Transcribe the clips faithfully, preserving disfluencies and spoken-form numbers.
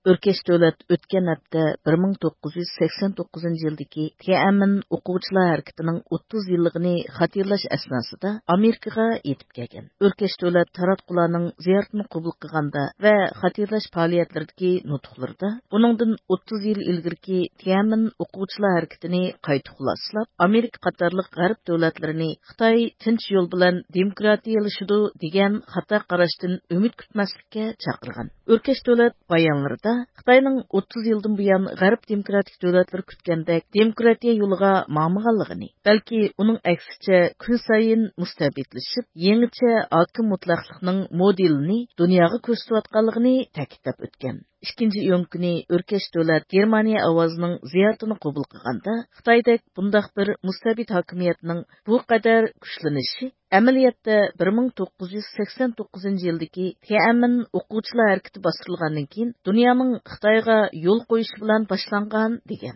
ئۆركەش دۆلەت ئۆتكەن ھەپتە بىر مىڭ توققۇز يۈز سەكسەن توققۇزىنچى يىلدىكى تيەنئەنمېن ئوقۇغۇچىلار ھەرىكىتىنىڭ ئوتتۇز يىللىقىنى خاتىرىلەش ئەسناسىدا ئامېرىكىغا يېتىپ كەلگەن. ئۆركەش دۆلەت تاراتقۇلارنىڭ زىيارىتىنى قوبۇل قىلغاندا ۋە خاتىرىلەش پائالىيەتلىرىدىكى نۇتۇقلىرىدا ئۇنىڭدىن ئوتتۇز يىل ئىلگىرىكى تيەنئەنمېن ئوقۇغۇچىلار ھەرىكىتىنى قايتا خۇلاسىلاپ، ئامېرىكا قاتارلىق غەرب دۆلەتلىرىنى خىتاي تىنچ يول بىلەن دېموكراتىيەلىشىدۇ دېگەن خاتا قاراشتىن ئۈمىد كۈتمەسلىككە چاقىرغان. ئۆركەش دۆلەت بايانلىرىدا خىتاينىڭ ئوتتۇز يىلدىن بۇيان غەرب دېموكراتىك دۆلەتلىرى كۈتكەندەك دېموكراتىيە يولىغا ماڭمىغانلىقىنى، بەلكى ئۇنىڭ ئەكسىچە كۈن سايىن مۇستەبىتلىشىپ، يېڭىچە ھاكىم مۇتلەقلىقنىڭ مودېلىنى دۇنياغا كۆرسىتىۋاتقانلىقىنى تەكىتلەپ ئۆتكەن. ئىككىنچى ئىيۇن كۈنى ئۆركەش دۆلەت گېرمانىيە ئاۋازىنىڭ زىيارىتىنى قوبۇل قىلغاندا، خىتايدەك بۇنداق بىر مۇستەبىت ھاكىمىيەتنىڭ بۇ قەدەر كۈچلىنىشى ئەمەلىيەتتە بىر مىڭ توققۇز يۈز سەكسەن توققۇزىنچى يىلدىكى تيەنئەنمېن ئوقۇغۇچىلار ھەرىكىتى باستۇرۇلغاندىن كېيىن دۇنيانىڭ خىتايغا يول قويۇشى بىلەن باشلانغان، دېگەن.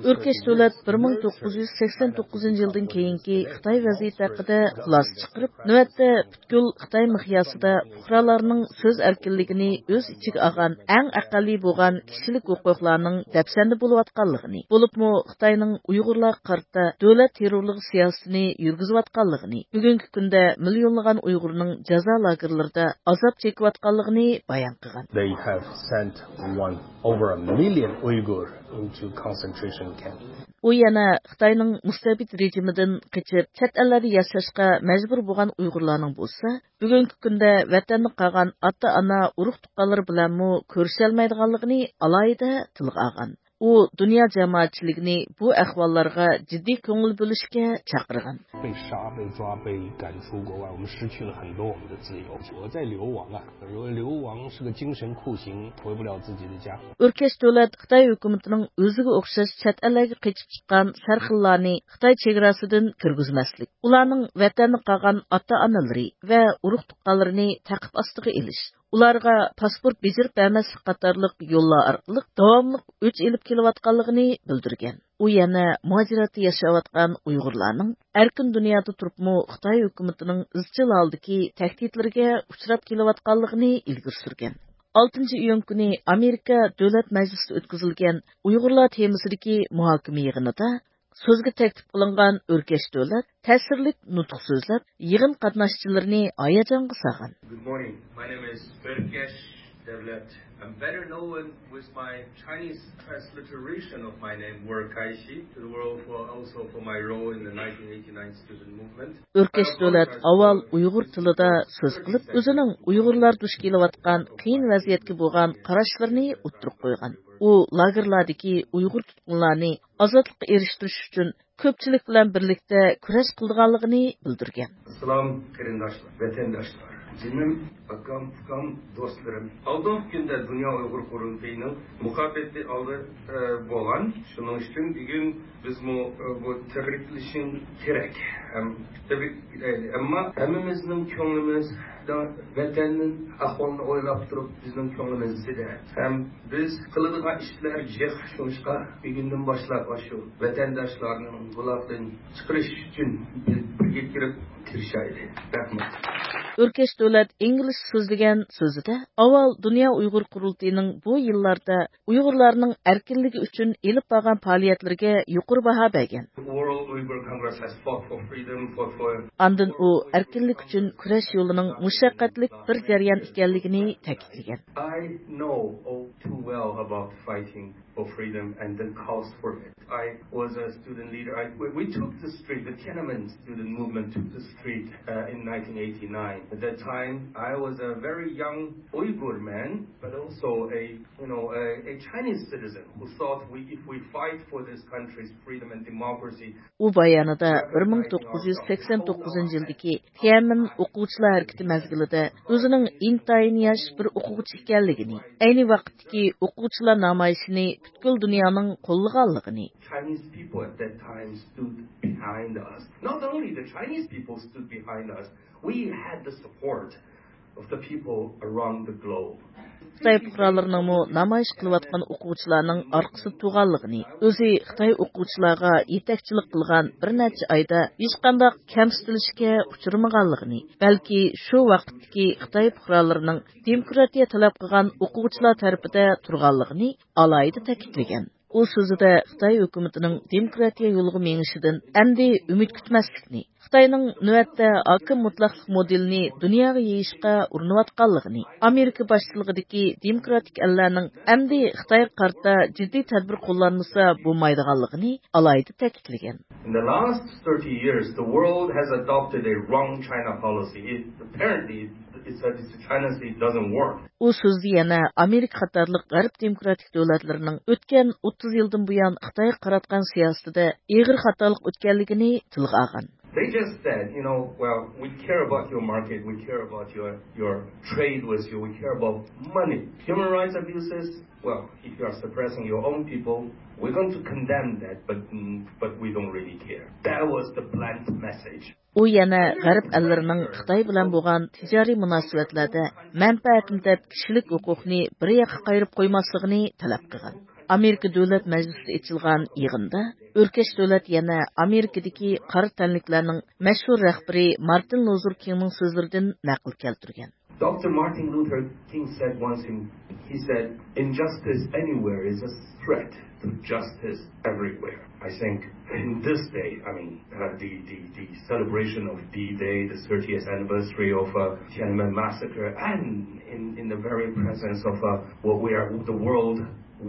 ئۆركەش دۆلەت بىر مىڭ توققۇز يۈز سەكسەن توققۇزىنچى يىلدىن كېيىنكى خىتاي ۋەزىيىتى ھەققىدە خۇلاسە چىقىرىپ، نۆۋەتتە پۈتكۈل خىتاي مىقياسىدا پۇقرالارنىڭ سۆز ئەركىنلىكىنى ئۆز ئىچىگە ئالغان ئەڭ ئەقەللىي بولغان كىشىلىك ھوقۇقلارنىڭ دەپسەندە بولۇۋاتقانلىقىنى، بولۇپمۇ خىتاينىڭ ئۇيغۇرلارغا قارىتا دۆلەت تېررورلۇقى سىياسىتىنى يۈرگۈزۈۋاتقانلىقىنى، بۈگۈنكى كۈندە مىليونلىغان ئۇيغۇرنىڭ جازا لاگېرلىرىدا ئازاب چېكىۋاتقانلىقىنى بايان قىلغان. They have sent one, over a million Uyghur into concentration camp. ئۇ يەنە خىتاينىڭ مۇستەبىت رېجىمىدىن قېچىپ، چەت ئەللەردە ياشاشقا مەجبۇر بولغان ئۇيغۇرلارنىڭ بولسا، بۈگۈنكى كۈندە ۋەتەندە قالغان ئاتا-ئانا، ئۇرۇق-تۇغقانلىرى بىلەنمۇ كۆرۈشەلمەيدىغانلىقىنى ئالاھىدە تىلغا ئالغان. ئۇ دۇنيا جامائەتچىلىكىنى بۇ ئەھۋاللارغا جىددىي كۆڭۈل بۆلۈشكە چاقىرغان. 被杀、被抓、被赶出国外，我们失去了很多我们的自由。我在流亡啊，流流亡是个精神酷刑，回不了自己的家。 ئۆركەش دۆلەت خىتاي ھۆكۈمىتىنىڭ ئۆزىگە ئوخشاش چەت ئەللەرگە قېچىپ چىققان سەرخىللارنى خىتاي چېگراسىدىن كىرگۈزمەسلىك، ئۇلارنىڭ ۋەتەندە قالغان ئاتا-ئانىلىرى ۋە ئۇرۇق-تۇغقانلىرىنى تەقىب ئاستىغا ئېلىش، ئۇلارغا پاسپورت بېجىرىپ بەرمەسلىك قاتارلىق يوللار ئارقىلىق داۋاملىق ئۆچ ئېلىپ كېلىۋاتقانلىقىنى بىلدۈرگەن. ئۇ يەنە مۇھاجىرەتتە ياشاۋاتقان ئۇيغۇرلارنىڭ ئەركىن دۇنيادا تۇرۇپمۇ خىتاي ھۆكۈمىتىنىڭ ئىزچىل ھالدىكى تەھدىتلىرىگە ئۇچراپ كېلىۋاتقانلىقىنى ئىلگىرى سۈرگەن. ئالتىنچى ئىيۇن كۈنى ئامېرىكا دۆلەت مەجلىسىدە ئۆتكۈزۈلگەن ئۇيغۇرلار تېمىسىدىكى مۇھاكىمە يىغىنىدا سۆزگە تەكلىپ قىلىنغان ئۆركەش دۆلەت تەسىرلىك نۇتۇق سۆزلەپ، يىغىن قاتناشچىلىرىنى ھاياجانغا سالغان. Good morning. My name is Örkesh Devlet. I'm better known with my Chinese transliteration of my name, Wurkaishi, to the world for also for my role in the nineteen eighty-nine student movement. ئۆركەش دۆلەت ئاۋۋال ئۇيغۇر تىلىدا سۆز قىلىپ، ئۆزىنىڭ ئۇيغۇرلار دۇچ كېلىۋاتقان قىيىن ۋەزىيەتكە بولغان قاراشلىرىنى ئوتتۇرىغا قويغان. ئۇ لاگېرلاردىكى ئۇيغۇر تۇتقۇنلارنى ئازادلىققا ئېرىشتۈرۈش ئۈچۈن كۆپچىلىك بىلەن بىرلىكتە كۈرەش قىلىدىغانلىقىنى بىلدۈرگەن. سالام قېرىنداشلار، ۋەتەنداشلار، جېنىم ئاكام، ئۇكام، دوستلىرىم. ئالدىنقى كۈندە دۇنيا ئۇيغۇر قۇرۇلتىيىنىڭ مۇكاپاتى ئالدى، ئە، بولغان. شۇنىڭ ئۈچۈن بۈگۈن بىزمۇ، ئە، بۇ تەبرىكلىشىڭ كېرەك. ھەم تەبرىكلەيلى. ئەمما ھەممىمىزنىڭ كۆڭلىمىز ۋەتەننىڭ ئەھۋالىنى ئويلاپ تۇرۇپ، بىزنىڭ كۆڭلىمىزدە. ھەم بىز قىلىدىغان ئىشلار جىق، شۇڭلاشقا بۈگۈندىن باشلاپ ئاشۇ ۋەتەنداشلارنىڭ بۇلاقتىن چىقىرىش ئۈچۈن بىز بىرگە كىرىپ تىرىشايلى. رەھمەت. ئۆركەش دۆلەت ئىنگلىزچە سۆزلىگەن سۆزىدە، ئاۋۋال دۇنيا ئۇيغۇر قۇرۇلتىيىنىڭ بۇ يىللاردا ئۇيغۇرلارنىڭ ئەركىنلىكى ئۈچۈن ئېلىپ بارغان پائالىيەتلىرىگە يۇقىرى باھا بەرگەن. World Uyghur Congress has fought for freedom, fought for ئاندىن ئۇ ئەركىنلىك ئۈچۈن كۈرەش يولىنىڭ مۇشەققەتلىك بىر جەريان ئىكەنلىكىنى تەكىتلىگەن. I know all too well about fighting for freedom and the cause for it. I was a student leader. I, we, we took the street, the Tiananmen student movement took the street, uh, in nineteen eighty-nine. At that time, I was a very young Uyghur man, but also a, you know, a, a Chinese citizen who thought we, if we fight for this country's freedom and democracy, ئۇ بايانىدا بىر مىڭ توققۇز يۈز سەكسەن توققۇزىنچى يىلدىكى تيەنئەنمېن ئوقۇغۇچىلار ھەرىكىتى مەزگىلىدە ئۆزىنىڭ ئىنتايىن ياش بىر ئوقۇغۇچى ئىكەنلىكىنى، ئەينى ۋاقىتتىكى ئوقۇغۇچىلار نامايىشىنى پۈتكۈل دۇنيانىڭ قوللىغانلىقىنى، Chinese people at that time stood behind us. Not only the Chinese people stood behind us, we had the support of the people around the globe. خىتاي پۇقرالىرىنىڭمۇ نامايىش قىلىۋاتقان ئوقۇغۇچىلارنىڭ ئارقىسىدا تۇرغانلىقىنى، ئۆزى خىتاي ئوقۇغۇچىلارغا يېتەكچىلىك قىلغان بىر نەچچە ئايدا ھېچقانداق كەمسىتىلىشكە ئۇچرىمىغانلىقىنى، بەلكى شۇ ۋاقىتتىكى خىتاي پۇقرالىرىنىڭ دېموكراتىيە تەلەپ قىلغان ئوقۇغۇچىلار تەرىپىدە تۇرغانلىقىنى ئالاھىدە تەكىتلىگەن. ئۇ سۆزىدە خىتاي ھۆكۈمىتىنىڭ دېموكراتىيە يولىغا مېڭىشىدىن ئەمدى ئۈمىد كۈتمەسلىكنى، خىتاينىڭ نۆۋەتتە ھاكىم مۇتلەقلىق مودېلىنى دۇنياغا يېيىشقا ئۇرۇنۇۋاتقانلىقىنى، ئامېرىكا باشچىلىقىدىكى دېموكراتىك ئەللەرنىڭ ئەمدى خىتايغا قارىتا جىددىي تەدبىر قوللانمىسا بولمايدىغانلىقىنى ئالاھىدە تەكىتلىگەن. In the last thirty years, the world has adopted a wrong China policy. It, apparently, it's a, it's a China state doesn't work. ئۇ سۆزدە يەنە ئامېرىكا قاتارلىق غەرب دېموكراتىك دۆلەتلىرىنىڭ ئۆتكەن ئوتتۇز يىلدىن بۇيان خىتايغا قاراتقان سىياسىتىدە ئېغىر خاتالىق ئۆتكەنلىكىنى تىلغا ئالغان. They just said, you know, well, we care about your market, we care about your, your trade with you, we care about money. Human rights abuses, well, if you are suppressing your own people, we're going to condemn that, but, mm, but we don't really care. That was the blunt message. ئۇ يەنە غەرب ئەللىرىنىڭ خىتاي بىلەن بولغان تىجارىي مۇناسىۋەتلەردە مەنپەئەتنى دەپ كىشىلىك ھوقۇقنى بىر ياققا قايرىپ قويماسلىقىنى تەلەپ قىلغان. ئامېرىكا دۆلەت مەجلىسىدە ئېچىلغان يىغىندا ئۆركەش دۆلەت يەنە ئامېرىكىدىكى قارا تەنلىكلەرنىڭ مەشھۇر رەھبىرى مارتىن لۇزېر كىڭنىڭ سۆزلىرىدىن نەقىل كەلتۈرگەن. Doctor Martin Luther King said once, in, he said, "Injustice anywhere is a threat to justice everywhere." I think in this day, I mean, uh, the, the, the celebration of D-Day, the thirtieth anniversary of, uh, Tiananmen massacre, and in, in the very presence of, uh, what we are, the world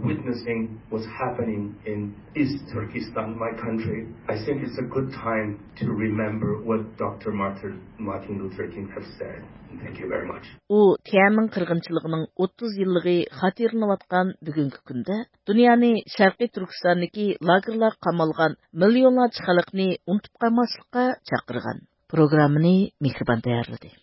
witnessing what's happening in East Turkestan, my country, I think it's a good time to remember what Doctor Martin, Martin Luther King have said. Thank you very much. ئۇ تيەنئەنمېن قىرغىنچىلىقىنىڭ ئوتتۇز يىللىقى خاتىرىلىنىۋاتقان بۈگۈنكى كۈندە دۇنيانى شەرقىي تۈركىستاندىكى لاگېرلارغا قامالغان مىليونلارچە خەلقنى ئۇنتۇپ قالماسلىققا چاقىرغان. پروگراممىنى مېھرىبان تەييارلىدى.